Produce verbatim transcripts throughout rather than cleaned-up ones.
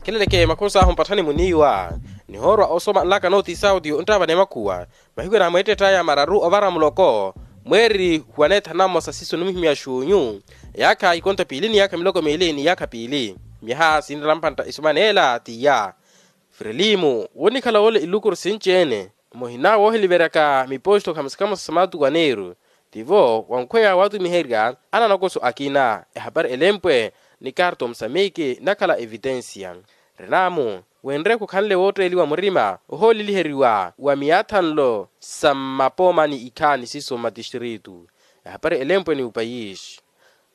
Kheleleke makhusa ahu mpatthani muniiwa nihoorwa osoma nlaka nooti sauti onttaavana emakhuwa. Mahiku enamweettett'aya mararu ovara muloko mweeri huwaneetha namosa sisu nimuhimya xuunyu. Eyaakha ikonto piili ni eyaakha miloko miili ni eyaakha piili. Myaha sinrela mpantta isoma neela tiya. Firelimu wonikhala woole ilukuru sinci-ene muhina woohiliveryaka miposto khamosa khamosa sa maatuku aneeru. Tivo wankhweya waatumiherya ananokoso akina ehapari elempwe ni karto musamiki nakhala evitensia. Renamu wenre khukhanle wootteeliwa murima ohooleliheriwa wa miyaathanlo sa mmapooma ni ikhaani siso mmatistritu. Ehapari elempwe ni upayisi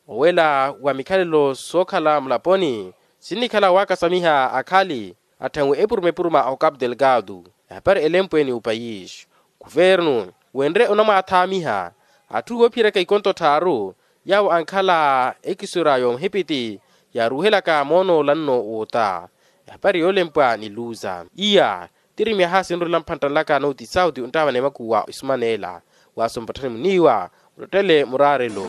owela wa mikhalelo sookhala mulaponi sinnikhala waakasamiha akhali atthenwe epuruma epuruma a ocapu delgado. Ehapari elempwe ni upayisi kuvernu wenre onamwaathaamiha atthu woophiyeryaka ikonto tthaaru yaawo ankhala ekisura y'omuhipiti yaaruuhelaka moonoolanno woota. Ehapari yoolempwa ni luza iya tiri myaha sinrula mphantta nlaka nooti sauti onttaavana emakuwa isumaneela. Waaso mpatthani muniiwa muttettele muraarelo.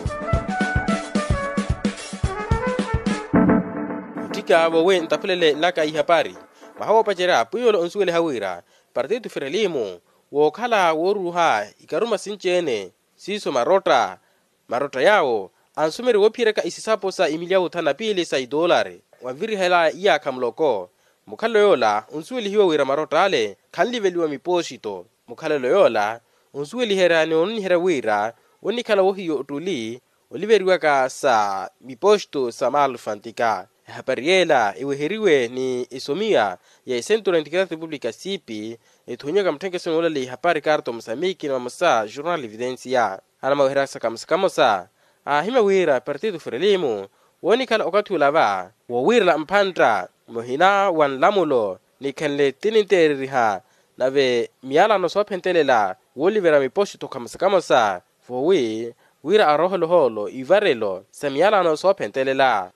Mutthika voowi ntaphulele nlaka ihapari mwaha woopacerya pwiiyolo onsuweliha wira partitu firelimu wookhala wooruuha ikaruma sinci-ene siiso marotta. Marotta yaawo ansumeri woophiyeryaka isisapo sa imilyawu thanu na piili sa itoolari wanvirihelaya iyaakha muloko. Mukhalelo yoola onsuwelihiwa wira marott'ale khanliveliwa mipoosito. Mukhalelo yoola onsuweliherya ni ononiherya wira onnikhala wohiya ottuli oliveriwaka sa mipoosito sa malfantika. Ehapari yeela eweheriwe ni esomiya ya esentu na intikira repupulika siipi ethonyiwaka mutthenkesoni woolaleya ihapari karto musamiki ni vamosa jornal evidensia. Anamaweheryaka kamosa kamosa aahimya wira partitu firelimu woonikhala okathi ula va woowiirela mphantta muhina wa nlamulo nikhenle tininteereriha nave miyalano soophentelela wooliverya mipoxito kamosa kamosa voowi wira aroohele ohoolo ivarelo sa miyalano soophentelela.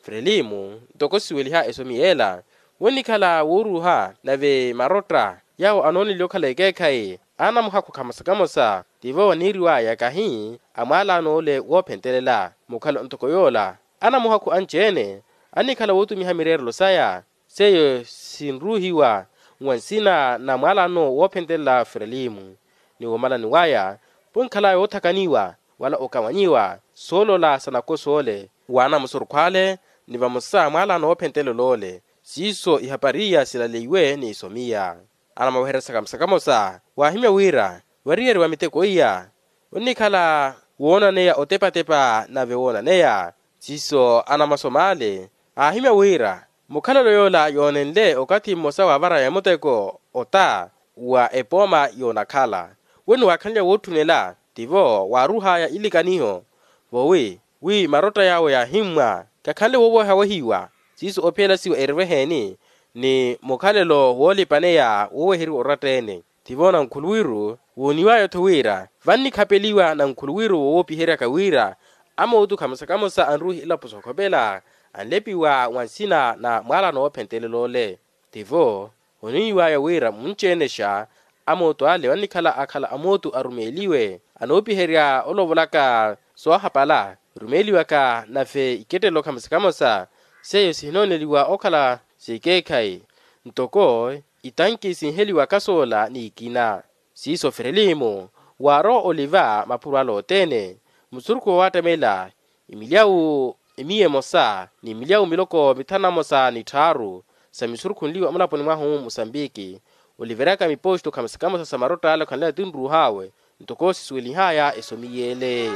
Frelimu ntoko siweliha esomi yeela wonnikhala wooruuha nave marotta yaawo anooneliwa okhala ekeekhayi anamuhakhu kamosa kamosa tivo waniiriwaya kahi a mwaalano ole woophentelela. Mukhalo ntoko yoola anamuhakhu anci-ene annikhala wootumiha mireerelo saya seiyo sinruuhiwa nwa nsina na mwaalano woophentelela frelimu. Ni womalani waya ponkhalaya woothakaniwa wala okawanyiwa soolola sa nakoso ole wa anamusurukhu ale ni vamosa mwaalano woophentelela ole. Siiso ihapari iya silaleiwe ni isomiya anamaweheryasaka musakamosa waahimya wira variyeriwa miteko iya onnikhala woonaneya otepatepa nave woonaneya siiso anamasoma ale aahimya wira mukhalelo yoola yoonenle okathi mmosa waavaraya muteko ota wa epooma yoonakhala we niwaakhanlya wootthunela tivo waaruuhaya ilikaniho voowi wi marotta yaawo yaahimmwa kakhanle woowehawehiwa siiso ophiyelashiwa eriveheeni ni mukhalelo woolipaneya wooweheriwa oratta-ene. Tivo nankhuluwiru wooniwaya-tho wira vannikhapeliwa nankhuluwiru woowopiheryaka wira amootukha musakamusa anruuhi elapo sookhopela anlepiwa wa nsina na mwaalano woophentelela ole. Tivo oniiwaya wira munci-enexa amooto ale vannikhala akhala amooto arumeeliwe anoopiherya olovolaka soohapala rumeeliwaka nave ikettelo khamosa khamosa seiyo sihinooneliwa okhala sekeekhayi ntoko itanki sinheliwaka soola n'ikina. Siiso frelimu waarowa oliva maphuru ale othene musurukhu woowattamela imilyawu emiya emosa ni milyawu miloko mithanu na mosa ni tthaaru sa misurukhunliwa mulaponi mwahu musambiki oliveryaka mipoxito khamosa khamosa sa marotta ale okhanleya tinruuhawe ntoko sisuwelihaya esomi yeele.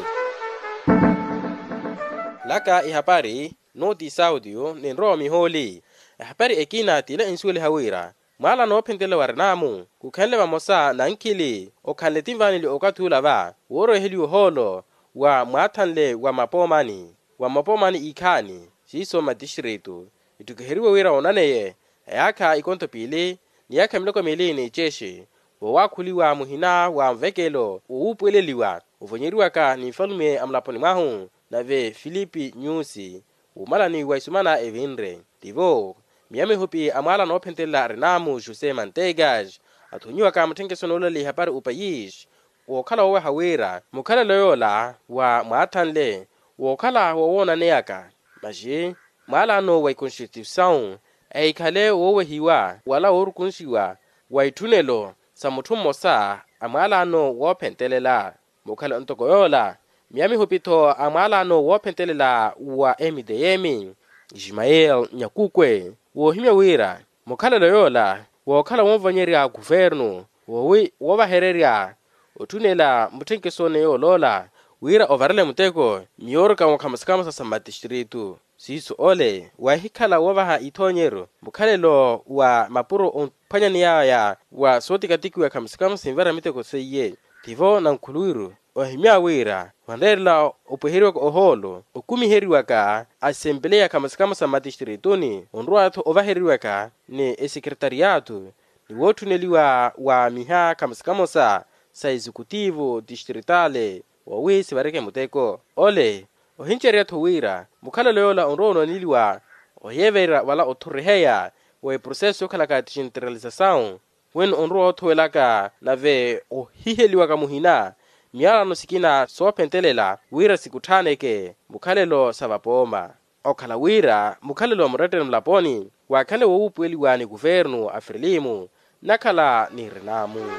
Laka ihapari noti saudio ninrowa mihooli ehapari ekina tile ensuweliha wira mwaalano woophentelela wa renamu khukhenle vamosa nankhili okhanle tinvaneli okathi ula va wooroweheliwa ohoolo wa mwaathanle wa mapoomani wa mapoomani ikhaani siiso mmatistritu ittukiheriwe wira woonaneye eyaakha ikonto piili ni eyaakha miloko miili ni icexi voowaakhuliwa muhina wa nvekelo wowuupuweleliwa ovonyeriwaka ni nfalume a mulaponi mwahu nave filipi nyusi wumalani wa isumana evinre tivo miya mihupi a mwaalano woophentelela renamu jose mantegas athonyiwaka mutthenkeso noolaleya ihapari opayis wookhala wooweha wira mukhalelo yoola wa mwaathanle wookhala wowoonaneyaka maxi mwaalano wa ikonstituisawu ehikhale woowehiwa wala woorukunxiwa wa itthunelo sa mutthu mmosa a mwaalano woophentelela. Mukhala ntoko yoola miya mihupitho a mwaalano woophentelela wa mtm ismael nyakukwe woohimya wira mukhalelo yoola wookhala wonvonyerya kuvernu woowi woovahererya otthunela mutthenkeso ni yooloola wira ovarele muteko miyoorokamo khamosa khamosa sa matistritu siiso ole wahikhala woovaha ithoonyeru mukhalelo wa mapuro ophwanyaneyaya wa sootikatikiwa khamosa khamosa sinvara miteko seiye tivo nankhuluwiru ohimya wira vanreerela opweheriwaka ohoolo okumiheriwaka asempeleya khamosa khamosa mmatistrituni onrowatho ovahereriwaka ni esekretariyaatu ni wootthuneliwa wa miha khamosa khamosa sa exekutivo tistritale woowi sivareke muteko ole ohincerya-tho wira mukhalelo yoola onrowa onooneliwa oyeeverya wala othuriheya wa eproseso yookhalaka tixinteralisasawu wino onrowa othowelaka nave ohiheliwaka muhina miyalano sikina soophentelela wira sikutthaaneke mukhalelo sa vapooma okhala wira mukhalelo wa muretteni mulaponi waakhanle woowuupuweliwa ni kuvernu a frilimu nakhala ni rinamu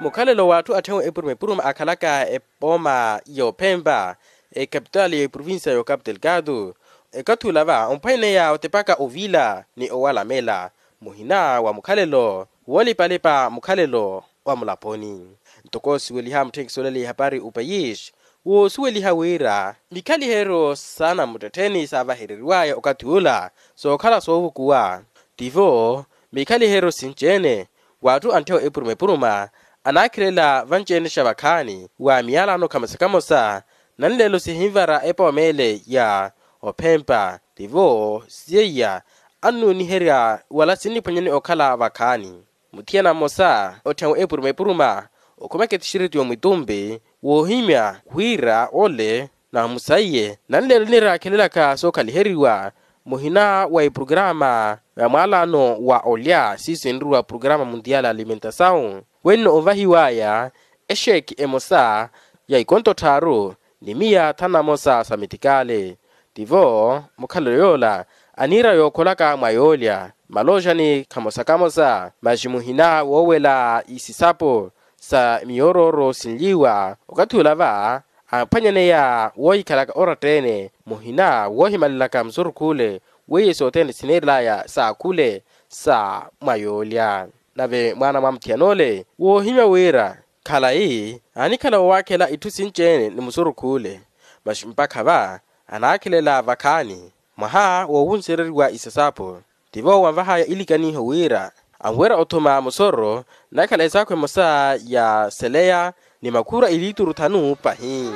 mukhalelo w'atthu atthenwe epuruma epuruma akhalaka epooma y'ophempa ekapitali y'eprovincia y'okapu telkatu ekathi ula va omphwaineya otepaka ovila ni owalamela muhina wa mukhalelo woolipalipa mukhalelo wa mulaponi ntoko siweliha mutthenkiso olele ihapari opayis woosuweliha wira mikhaliheryo saana muttettheni saavahereriwaya okathi ula sookhala soovukuwa tivo mikhaliheryo sinci-ene w'atthu antthewa epuruma epuruma anaakhilela vanci-ene xa vakhaani wa miyalano khamosa khamosa nanlelo sihinvara epooma ele ya ophempa tivo siyeiya annuuniherya wala sinniphwanyani okhala vakhaani muthiyana mmosa otthenwe epuruma epuruma okhumaka etixiritu y'omwitumpi woohimya wira ole na musaiye nanlelo niraakhelelaka sookhaliheriwa muhina wa eprograma ya mwaalano wa olya siiso enriwa programa mundial alimentasawu wenno ovahiwaya exeeki emosa ya ikonto tthaaru ni miya thanu na mosa sa mitikaale tivo mukhalelo yoola aniira yookholaka mwa yoolya maloojani khamosa khamosa maxi muhina woowela isisapo sa miyoorooro sinliwa okathi ula va aaphwanyaneya woohikhalaka oratta-ene muhina woohimalelaka musurukhu ole weiye sothene sineerelaya sa khule sa mwa yoolya nave mwaana mwa muthiyana ole woohimya wira khalayi aanikhala woowakhela itthu sinci-ene ni musurukhu ole maxi mpakha va anaakhelela vakhaani mwaha woowunsereriwa isasapo tivo wanvahaya ilikaniho wira anwerya othuma musoro nakhala esaakhu emosa ya seleya ni makhura iliituru thanu pahi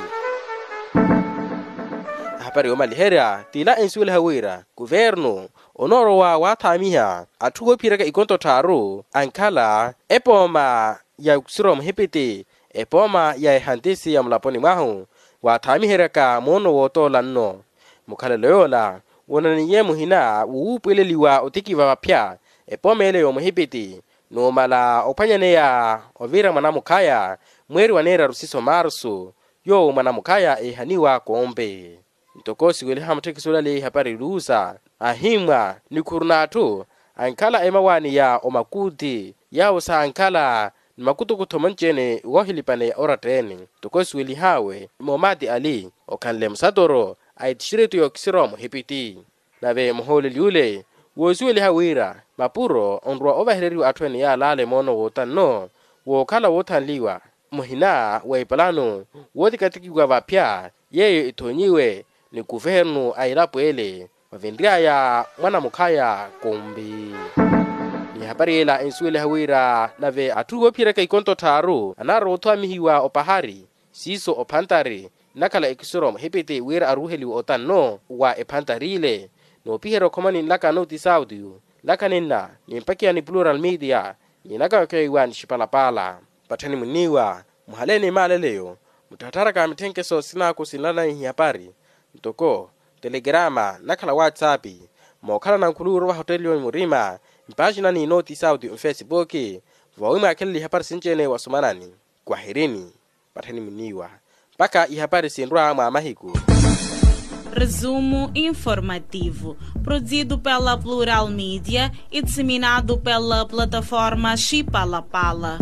ahapari yoomaliherya t'ila ensuweliha wira kuvernu onoorowa waathaamiha atthu woophiyeraka ikonto tthaaru ankhala epooma ya kusiro muhipiti epooma ya ehantisi ya mulaponi mwahu waathaamiheryaka moono wootoola nno mukhalelo yoola woonaniye muhina wowuupuweleliwa otikiva vaphya epooma ele y'omuhipiti numala ophwanyaneya ovira mwanamukhaya mweeri wa neeraru siso marsu yoowo mwanamukhaya eehaniwa koompe ntoko siweliha mutthekiso olale ihapari luusa ahimmwa nikhuru n'atthu ankhala emawaani ya omakuuthi yaawo saankhala ni makutukutho manci-ene woohilipaneya oratta-ene ntoko siwelihaawe moomaati ali okhanle musatoro a etixiritu y'okisiro muhipiti nave muhooleli ole woosuweliha wira mapuro onrowa ovahereriwa atthu ene yaalaale moono woota nno wookhala woothanliwa muhina wa ipalano wootikatikiwa vaphya yeeyo ethoonyiwe ni kuvernu a elapo ele vavenry'aya mwanamukhaya kumbi n'ihapari ela ensuweliha wira nave atthu woophiyeraka ikonto tthaaru anaarwa othoamihiwa opahari siiso ophantari nnakhala ekisiro muhipiti wira aruuheliwe otanno wa ephantari ile noopiherya okhomani nlaka nooti saudio nlaka ninna nimpakiya ni plural media ninaka yokeiwa ni xipalapala patthani munniiwa muhale ni maaleleyo mutthattharaka mitthenkese osinaaku sinlanaihi hapari ntoko telegrama nnakhala whatsapp mookhalana nkhuluwiro vahoteliyo murima mpaaxinani nooti saudio nfesipuki voowi mwaakhelele ihapari sinci-ene wasumanani kwahirini patthani munniiwa mpakha ihapari sinrwa mwa mahiku Resumo informativo, produzido pela Plural Media e disseminado pela plataforma Chipalapala.